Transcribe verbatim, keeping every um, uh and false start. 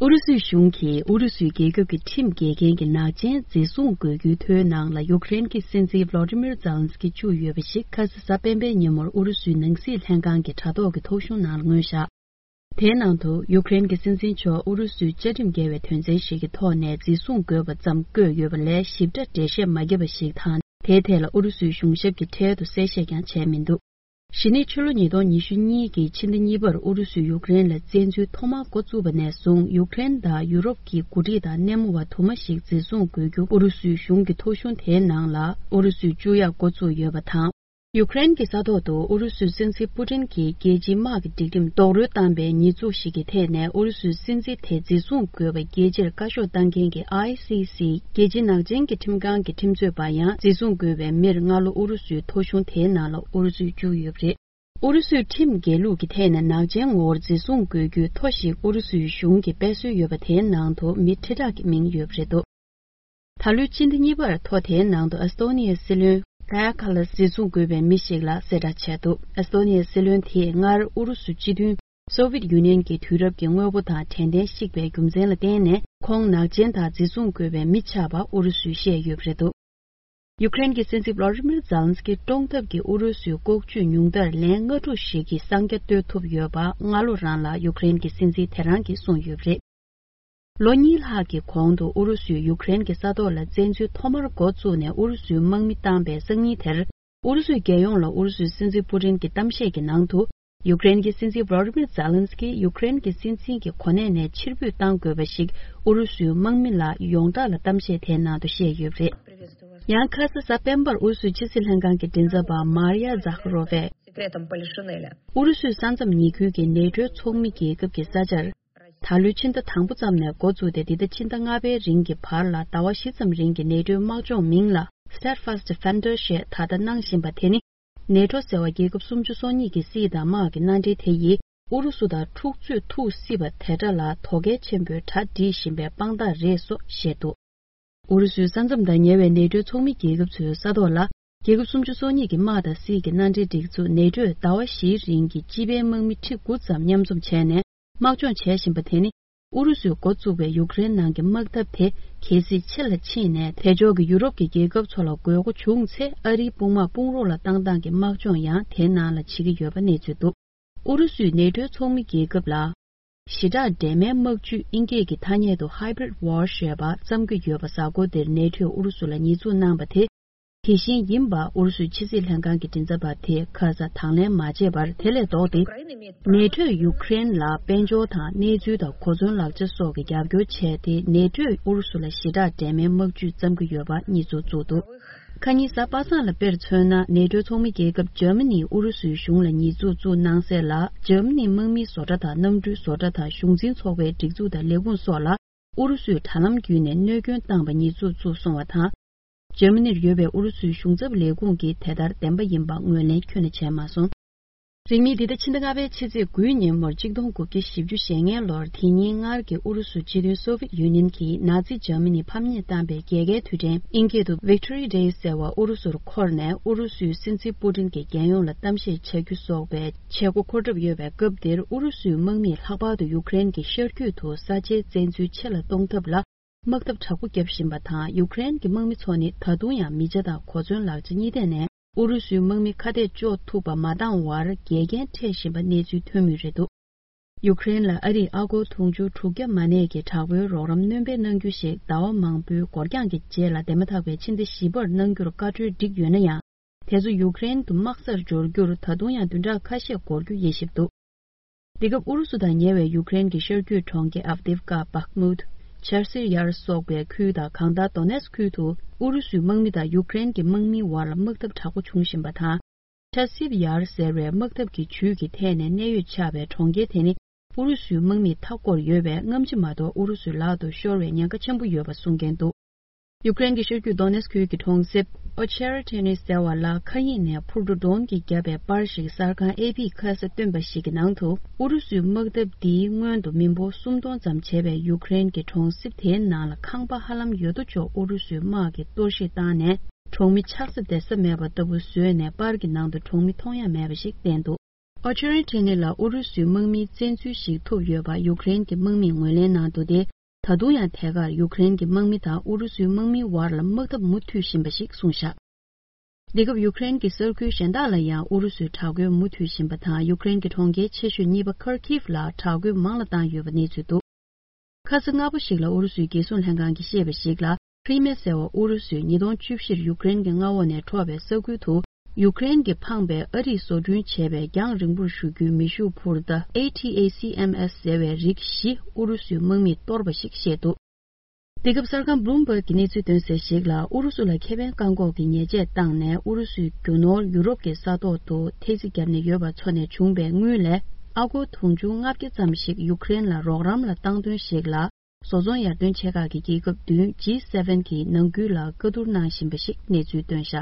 ཨུ་རུ་སུའི་གཞུང་གིས་ཨུ་རུ་སུའི་རྒྱལ་ཁབ་ཀྱི་ཁྲིམས་འགལ་མཁན་གྱི་ནག་ཅན་འཛིན་བཟུང་དགོས་རྒྱུའི་ཐོའི་ནང་ལ་ཡུཀ་རེན་གྱི་སྲིད་འཛིན་Volodymyr Zelensky་བཅུག་ཡོད་པ་ཞིག་ཁ་ས་གཟའ་སྤེན་པའི་ཉིན་མོར་ཨུ་རུ་སུའི་ནང་སྲིད་ལྷན་ཁང་གི་དྲ་ཐོག་གི་ཐོ་གཞུང་ནང་ལ་མངོན་བཞག་དེའི་ནང་དུ་ཡུཀ་རེན་གྱི་སྲིད་འཛིན་མཆོག་ཨུ་རུ་སུའི་བཅའ་ཁྲིམས་འགལ་བའི་དོན་ཚན་ཞིག་གི་ཐོག་ནས་འཛིན་བཟུང་དགོས་པ་ཙམ་བཀོད་ཡོད་པ་ལས་ཞིབ་ཕྲ་འགྲེལ་བཤད་མ་བརྒྱབ་པ་ཞིག་དང་། དེའི་ཐད་ལ་ཨུ་རུ་སུའི་གཞུང་ཞབས་ཀྱིས་འཕྲལ་དུ་གསལ་བཤད་ཀྱང་བྱས་མི་འདུག་གཞི་ནས་ཕྱི་ལོ་ཉིས་སྟོང་ཉི་ཤུ་གཉིས་ཀྱི་ཕྱི་ཟླ་གཉིས་པར་ཨུ་རུ་སུས་ཡུཀ་རེན་ལ་བཙན་འཛུལ་ཐོག་མར་འགོ་བཙུགས་པ་ནས་བཟུང་ཡུཀ་རེན་དང་ཡུ་རོབ་ཀྱི་འགོ་ཁྲིད་དང་སྣེ་མོ་བ་དུ་མ་ཞིག་འཛིན་བཟུང་དགོས་རྒྱུ་ཨུ་རུ་སུའི་གཞུང་གི་ཐོ་གཞུང་དེའི་ནང་ལ་ཨུ་རུ་སུས་བཅུག་ཡག་འགོ་བཙུགས་ཡོད་པ་དང་། ཡུཀ་རེན་གྱི་ས་ཐོག་ཏུ་ཨུ་རུ་སུའི་སྲིད་འཛིན་པུ་ཏིན་གྱིས་རྒྱལ་སྤྱིའི་དམག་གི་སྒྲིག་ཁྲིམས་རྡོག་རོལ་བཏང་པའི་ཉེས་འཛུགས་ཤིག་གི་ཐད་ནས་ཨུ་རུ་སུའི་སྲིད་འཛིན་དེ་འཛིན་བཟུང་དགོས་པ་རྒྱལ་སྤྱིར་བཀའ་ཤོག་བཏང་མཁན་གྱི་ཨའི་སི་སི་རྒྱལ་སྤྱིའི་ནག་ཅན་གྱི་ཁྲིམས་ཁང་གི་ཁྲིམས་རྩོད་པ་ཡང་འཛིན་བཟུང་དགོས་པའི་མིར་སྔ་ལོ་ཨུ་རུ་སུའི་ཐོ་གཞུང་དེའི་ནང་ལ་ཨུ་རུ་སུས་བཅུག་ཡོད་པ་རེད། ཨུ་རུ་སུའི་ཁྲིམས་འགལ་ལུགས་ཀྱི་ཐད་ནས་ནག་ཅན་ངོ་བོར་འཛིན་བཟུང་དགོས་རྒྱུའི་ཐོ་ཞིག་ཨུ་རུ་སུའི་གཞུང་གིས་སྤེལ་སྲོལ་ཡོད་པ་དེའི་ནང་དུ་མི་ཁྲི་ཕྲག་གི་མིང་ཡོད་པ་རེད་འདུག་ད་ལོའི་ཕྱི་ཟླ་གཉིས་པར་ཐོ་དེའི་ནང་དུ་ཨེ་སྟོ་ནི་ཡའི་སྲིད་བློན་ཀ་ཡ་ཁ་ལ་འཛིན་བཟུང་དགོས་པའི་མི་ཞིག་ལ་གསལ་བསྒྲགས་བྱས་འདུག་ཨེ་སྟོ་ནི་ཡའི་སྲིད་བློན་དེས་སྔར་ཨུ་རུ་སུ་སྤྱི་མཐུན་སོ་ཝིད་ཡུ་ནི་ཡན་གྱི་དུས་རབས་ཀྱི་དངོས་པོ་དང་དྲན་རྟེན་བཤིག་པའི་རྒྱུ་མཚན་ལ་བརྟེན་ནས་ཁོང་ནག་ཅན་དང་འཛིན་བཟུང་དགོས་པའི་མི་ཆགས་པ་ཨུ་རུ་སུས་བཤད་ཡོད་པ་རེད་འདུག་ཡུཀ་རེན་གྱི་སྲིད་འཛིན་ཝ་ལ་ཏི་མིར་ཛེ་ལན་སི་ཀི་བཀྲོངས་ཐབས་ཀྱིས་ཨུ་རུ་སུའི་ལྐོག་ཇུས་ཉུང་མཐར་ལན་ལྔ་དྲུག་ཞིག་གི་གསང་རྒྱ་གཏོད་ཐུབ་ཡོད་པ་སྔ་ལོ་རང་ལ་ཡུཀ་རེན་གྱི་སྲིད་འཛིན་དེ་རང་གིས་གསུངས་ཡོད་པ་རེད། ལོ་གཉིས་ལྷག་གི་གོང་དུ་ཨུ་རུ་སུས་ཡུཀ་རེན་གྱི་ས་ཐོག་ལ་བཙན་འཛུལ་ཐོག་མར་འགོ་བཙུགས་ནས་ཨུ་རུ་སུའི་དམག་མི་བཏང་པའི་སང་ཉིན་དེར། ཨུ་རུ་སུའི་རྒྱལ་ཡོངས་ལ་ཨུ་རུ་སུའི་སྲིད་འཛིན་པུ་ཏིན་གྱི་གཏམ་བཤད་ཀྱི་ནང་དུ། ཡུཀ་རེན་གྱི་སྲིད་འཛིན་ཝ་ལ་ཏི་མིར་ཛེ་ལན་སི་ཀི་ཡུཀ་རེན་གྱི་སྲིད་འཛིན་གྱི་གོ་གནས་ནས་ཕྱིར་འབུད་གཏང་དགོས་པ་ཞིག་ཨུ་རུ་སུའི་དམག་མི་ལ་ཡོངས་གྲགས་ལ་གཏམ་བཤད་དེའི་ནང་དུ་བཤད་ཡོད་པ་རེད། ཡང་ཁ་ས་གཟའ་སྤེན་པར་ཨུ་རུ་སུའི་ཕྱི་སྲིད་ལྷན་ཁང་གི་མགྲིན་ཚབ་པ་མར་ཡ་ཛག་རོ་ཝས། ཨུ་རུ་སུའི་ས་མཚམས་ཉེ་ཁུལ་གྱི་ནེ་ཊོའི་ཚོགས་མི་རྒྱལ་ཁབ་ཀྱི་ས་ཆར། ད་ལོའི་ཕྱི་ཟླ་དང་པོ་ཙམ་ནས་འགོ་བཙུགས་ཏེ་འདི་ཟླ་ཕྱི་ཟླ་ལྔ་པའི་རིང་གི་བར་ལ་ཟླ་བ་བཞི་ཙམ་རིང་གི་ནེ་ཊོའི་དམག་སྦྱོང་མིང་ལ་Steadfast Defender ཞེས་ད་ལྟ་གནང་བཞིན་པ་དེ་ནི། ནེ་ཊོ་ཟེར་བ་རྒྱལ་ཁབ་སུམ་ཅུ་སོ་གཉིས་ཀྱི་སྲིད་དང་དམག་གི་མནའ་འབྲེལ་དེ་ཡིས་ཨུ་རུ་སུ་དང་འཁྲུག་རྩོད་ཐུག་སྲིད་པ་དེ་འདྲ་ལ་དོ་གལ་ཆེན་པོའི་གྲ་སྒྲིག་བཞིན་པའི་དཔང་རྟགས་རེད་སོགས་བཤད་འདུག་ཨུ་རུ་སུའི་ས་མཚམས་དང་ཉེ་བའི་ནེ་ཊོའི་ཚོགས་མི་རྒྱལ་ཁབ་ཚོའི་ས་ཐོག་ལ་རྒྱལ་ཁབ་སུམ་ཅུ་སོ་གཉིས་ཀྱི་དམག་དང་སྲིད་ཀྱི་མནའ་འབྲེལ་སྒྲིག་འཛུགས་ནེ་ཊོས་ཟླ་བ་བཞིའི་རིང་གི་སྤྱི་པའི་དམག་མི་ཁྲི་དགུ་ཙམ་མཉམ་འཛོམས་བྱས་ནས་དམག་སྦྱོང་བྱེད་བཞིན་པ་དེ་ནི། ཨུ་རུ་སུས་འགོ་བཙུགས་པའི་ཡུཀ་རེན་ནང་གི་དམག་འཐབ་དེ་གལ་སྲིད་ཕྱི་ལ་ཕྱིན་ནས་དལ་འབྱོར་གྱི་ཡུ་རོབ་ཀྱི་རྒྱལ་ཁབ་ཚོ་ལ་དགོས་མཁོ་བྱུང་ཚེ་ཨ་རིའི་དཔུང་དམག་དཔུང་རོགས་ལ་བཏང་སྟངས་ཀྱི་དམག་སྦྱོང་ཡང་དེའི་ནང་ལ་བྱེད་ཀྱི་ཡོད་པ་གནས་ཚུལ་འདུག་ཨུ་རུ་སུས་ནེ་ཊོའི་ཚོགས་མི་རྒྱལ་ཁབ་ལ། ཞི་དྲག་འདྲེས་མའི་དམག་ཇུས་དབྱིན་སྐད་ཀྱི་ཐ་སྙད་དུ་Hybrid War ཞེས་པ་བརྩམས་ཀྱི་ཡོད་པ་གཟའ་འཁོར་འདིར་ནེ་ཊོས་ཨུ་རུ་སུ་ལ་ཉེས་འཛུགས་གནང་པ་དེ། དེ་བཞིན་ཡིན་པ་ཨུ་རུ་སུའི་ཕྱི་སྲིད་ལྷན་ཁང་གི་མགྲིན་ཚབ་པ་དེས་ཁ་ས་དང་ལེན་མ་བྱས་པར་དེ་ལས་ལྡོག་སྟེ། ནེ་ཊོས་ཡུཀ་རེན་ལ་དཔལ་འབྱོར་དང་གནས་ཚུལ་དང་གོ་མཚོན་ལག་ཆ་སོགས་ཀྱི་རྒྱབ་སྐྱོར་བྱས་ཏེ་ནེ་ཊོས་ཨུ་རུ་སུ་ལ་ཞི་དྲག་འདྲེས་མའི་དམག་ཇུས་བརྩམས་ཀྱི་ཡོད་པ་གཉིས་ཚོགས་བཙུགས་འདུག་ཁ་ཉིན་གཟའ་པ་སངས་ལ་དཔེར་མཚོན་ན་ནེ་ཊོའི་ཚོགས་མི་རྒྱལ་ཁབ་འཇར་མ་ནིས་ཨུ་རུ་སུའི་གཞུང་ལ་ཉེས་འཛུགས་བཙུགས་གནང་སྲིད་ལ་འཇར་མ་ནིའི་དམག་མིའི་བཟོ་གྲྭ་དང་གནམ་གྲུའི་བཟོ་གྲྭ་དང་གཞུང་འཛིན་ཚོགས་པའི་སྒྲིག་འཛུགས་དང་ལས་ཁུངས་སོགས་ལ། ཨུ་རུ་སུས་དྲ་ལམ་བརྒྱུད་ནས་གནོད་སྐྱོན་བཏང་པ་ཉེས་འཛུགས་བཙུགས་སོང་བ་དང་། འཇར་མ་ནིར་ཡོད་པའི་ཨུ་རུ་སུའི་གཞུང་ཚབ་ལས་ཁུངས་ཀྱིས་དེ་ལྟར་བདེན་པ་ཡིན་པ་ངོས་ལེན་ཁྱོན་ནས་བྱས་མ་སོང་། རིང་མིན་འདི་ཟླ་ཕྱི་ཟླ་ལྔ་པའི་ཕྱི་ཚེས་དགུའི་ཉིན་མོར་གཅིག་སྟོང་དགུ་བརྒྱ་བཞི་བཅུ་ཞེ་ལྔའི་ལོར་དེ་ཉིན་སྔར་གྱི་ཨུ་རུ་སུ་སྤྱི་མཐུན་སོ་ཝིད་ཡུ་ནི་ཡན་གྱིས་ནཱ་ཛི་འཇར་མ་ནི་ཕམ་ཉེས་བཏང་པའི་རྒྱལ་ཁའི་དུས་དྲན་དབྱིན་སྐད་དུ་Victory Day ཟེར་བ་ཨུ་རུ་སུར་འཁོར་ནས་ཨུ་རུ་སུའི་སྲིད་འཛིན་པུ་ཏིན་གྱི་རྒྱལ་ཡོངས་ལ་གཏམ་བཤད་བྱ་རྒྱུ་སོགས་པའི་བྱེད་སྒོ་འཁོར་གྲབས་ཡོད་པའི་སྐབས་འདིར་ཨུ་རུ་སུའི་དམག་མིས་ལྷག་པར་དུ་ཡུཀ་རེན་གྱི་ཤར་རྒྱུད་དུ་ས་ཆའི་བཙན་འཛུལ་ཆེ་ལ་གཏོང་ཐབས་ལ་དམག་འཐབ་དྲག་པོ་བརྒྱབ་བཞིན་པ་དང་ཡུཀ་རེན་གྱི་དམག་མི་ཚོ་ནི་ད་དུང་ཡང་མི་ཆ་དང་གོ་མཚོན་ལག་ཆ་གཉིས་ཐད་ནས་ཨུ་རུ་སུའི་དམག་མི་ཁ་གཏད་གཅོག་ཐུབ་པ་མ་བཏང་བར་འགལ་རྐྱེན་འཕྲད་བཞིན་པ་གནས་ཚུལ་ཐོན་མུས་རེད་འདུག་ཡུཀ་རེན་ལ་ཨ་རིས་ཨ་སྒོར་དུང་ཕྱུར་དྲུག་བརྒྱ་མ་གནས་ཀྱི་དྲག་པོའི་རོགས་རམ་སྣོན་སྤེལ་གནང་རྒྱུ་ཞིག་ཟླ་བ་མང་པོའི་འགོར་འགྱངས་ཀྱི་རྗེས་ལ་འདས་མ་ཐག་པའི་ཕྱི་ཟླ་བཞི་པར་གནང་རྒྱུར་བཀའ་འཁྲོལ་བསྒྲིགས་ཡོད་ན་ཡང་། དེ་ཚོ་ཡུཀ་རེན་དུ་དམག་སར་འབྱོར་རྒྱུར་ད་དུང་ཡང་བདུན་ཕྲག་ཁ་ཤས་འགོར་རྒྱུ་ཡིན་ཞིབ་འདུག་འདི་སྐབས་ཨུ་རུ་སུ་དང་ཉེ་བའི་ཡུཀ་རེན་གྱི་ཤར་རྒྱུད་གྲོང་ཁྱེར་ཨབ་དིབ་ཀ། བྷག་མུད། ཆར་སིར་ཡར་སོགས་པའི་ཁུལ་དང་གང་ལྟར་དོ་ནེས་ཁུལ་དུ་ཨུ་རུ་སུའི་དམག་མི་དང་ཡུཀ་རེན་གྱི་དམག་མིའི་བར་ལ་དམག་འཐབ་དྲག་པོ་བྱུང་བཞིན་པ་དང་། ཆར་སིབ་ཡར་ཟེར་བའི་དམག་འཐབ་ཀྱི་ཇུས་ཀྱི་ཐད་ནས་གནད་ཡོད་ཆགས་པའི་གྲོང་ཁྱེར་དེ་ནི་ཨུ་རུ་སུའི་དམག་མིས་མཐའ་བསྐོར་ཡོད་པས་སྔ་ཕྱི་མ་གཏོགས་ཨུ་རུ་སུའི་ལག་ཏུ་ཤོར་བའི་ཉེན་ཁ་ཆེན་པོ་ཡོད་པ་གསུང་མཁན་འདུག་ཡུཀ་རེན་གྱི་ཤར་རྒྱུད་དོ་ནེས་ཁུལ་གྱི་གྲོང་གསེབ་ཨོ་ཆེ་ར་ཏེ་ནི་ཟེར་བ་ལ་མཁའ་དབྱིངས་ནས་འཕུར་གྲུ་ཌོན་གྱིས་བརྒྱབ་པའི་པར་ཞིག་གསར་ཁང་ཨེ་པི་ཁ་སར་བཏོན་པ་ཞིག་གི་ནང་དུ་ཨུ་རུ་སུའི་དམག་འཐབ་འདིའི་སྔོན་དུ་མི་འབོར་སུམ་སྟོང་ཙམ་བྱས་པའི་ཡུཀ་རེན་གྱི་གྲོང་གསེབ་དེའི་ནང་ལ་ཁང་པ་ཧ་ལམ་ཡོད་དོ་ཅོག་ཨུ་རུ་སུའི་དམག་གིས་གཏོར་བཤིག་བཏང་ནས་གྲོང་མི་ཆགས་ས་བསྡད་ས་མེད་པ་ལྟ་བུ་བཟོས་ནས་པར་གྱི་ནང་དུ་གྲོང་མི་མཐོང་ཡ་མེད་པ་ཞིག་བསྟན་འདུག་ཨོ་ཆེ་རན་ཁྲེ་ནི་ལ་ཨུ་རུ་སུའི་དམག་མིའི་བཙན་འཛུལ་ཞིག་ཐུབ་ཡོད་པ་ཡུཀ་རེན་གྱི་དམག་མིས་ངོས་ལེན་གནང་འདུག་སྟེ། ད་དུང་ཡང་ཐད་ཀར་ཡུཀ་རེན་གྱི་དམག་མི་དང་ཨུ་རུ་སུའི་དམག་མིའི་བར་ལ་དམག་འཐབ་མུ་མཐུད་བཞིན་པ་ཞིག་གསུངས་བཞག་འདི་སྐབས་ཡུཀ་རེན་གྱི་ས་ཁུལ་གཞན་དག་ལ་ཡང་ཨུ་རུ་སུས་དྲག་རྒོལ་མུ་མཐུད་བཞིན་པ་དང་། ཡུཀ་རེན་གྱི་གྲོང་ཁྱེར་ཆེ་ཤོས་གཉིས་པ་ཁར་ཁིབ་ལ་དྲག་རྒོལ་མང་ལ་བཏང་ཡོད་པ་གནས་ཚུལ་འདུག་ཁ་ས་སྔ་པོ་ཞིག་ལ་ཨུ་རུ་སུའི་རྒྱལ་སྲུང་ལྷན་ཁང་གིས་བཤད་པ་ཞིག་ལ། ཁྲི་མེ་ཟེར་བ་ཨུ་རུ་སུས་ཉིས་སྟོང་བཅུ་བཞིར་ཡུཀ་རེན་གྱི་མངའ་འོག་ནས་འཕྲོག་པའི་ས་ཁུལ་དུ། ཡུཀ་རེན་གྱིས་འཕངས་པའི་ཨ་རིས་བཟོ་སྐྲུན་བྱས་པའི་རྒྱང་རིང་པོར་གཞུ་རྒྱུའི་མེ་ཤུགས་འཕུར་མདའ་ཨེ་ཊི་ཨེ་སི་ཨེམ་ཨེས་ཟེར་བའི་རིགས་བཞི་ཨུ་རུ་སུའི་དམག་མིས་གཏོར་བ་ཞིག་བཤད་འདུག་འདི་སྐབས་གསར་ཁང་བྷུ་ལུམ་བྷག་གིས་གནས་ཚུལ་བཏོན་གསལ་ཞིག་ལ། ཨུ་རུ་སུ་ལ་ཁེ་ཕན་བཀག་འགོག་གི་ཉེས་ཆད་བཏང་ནས། ཨུ་རུ་སུས་རྒྱུ་ནོར་ཡུ་རོབ་ཀྱི་ས་ཐོག་ཏུ་ཐེལ་ཙེ་བརྒྱབ་ནས་ཡོད་པ་ཚོ་ནས་བྱུང་བའི་དངུལ་ལས་ཨ་སྒོར་དུང་ཕྱུར་ལྔ་བརྒྱ་ཙམ་ཞིག་ཡུཀ་རེན་ལ་རོགས་རམ་ལ་བཏང་དོན་ཞིག་ལ། བཟོ་ཚོང་ཡར་ཐོན་ཆེ་ཁག་གི་རྒྱལ་ཁབ་བདུན་ཇི་སེ་ཝེན་གྱིས་ནང་ཁུལ་ལ་བཀའ་བསྡུར་གནང་བཞིན་པ་ཞིག་གནས་ཚུལ་བཏོན་བཞག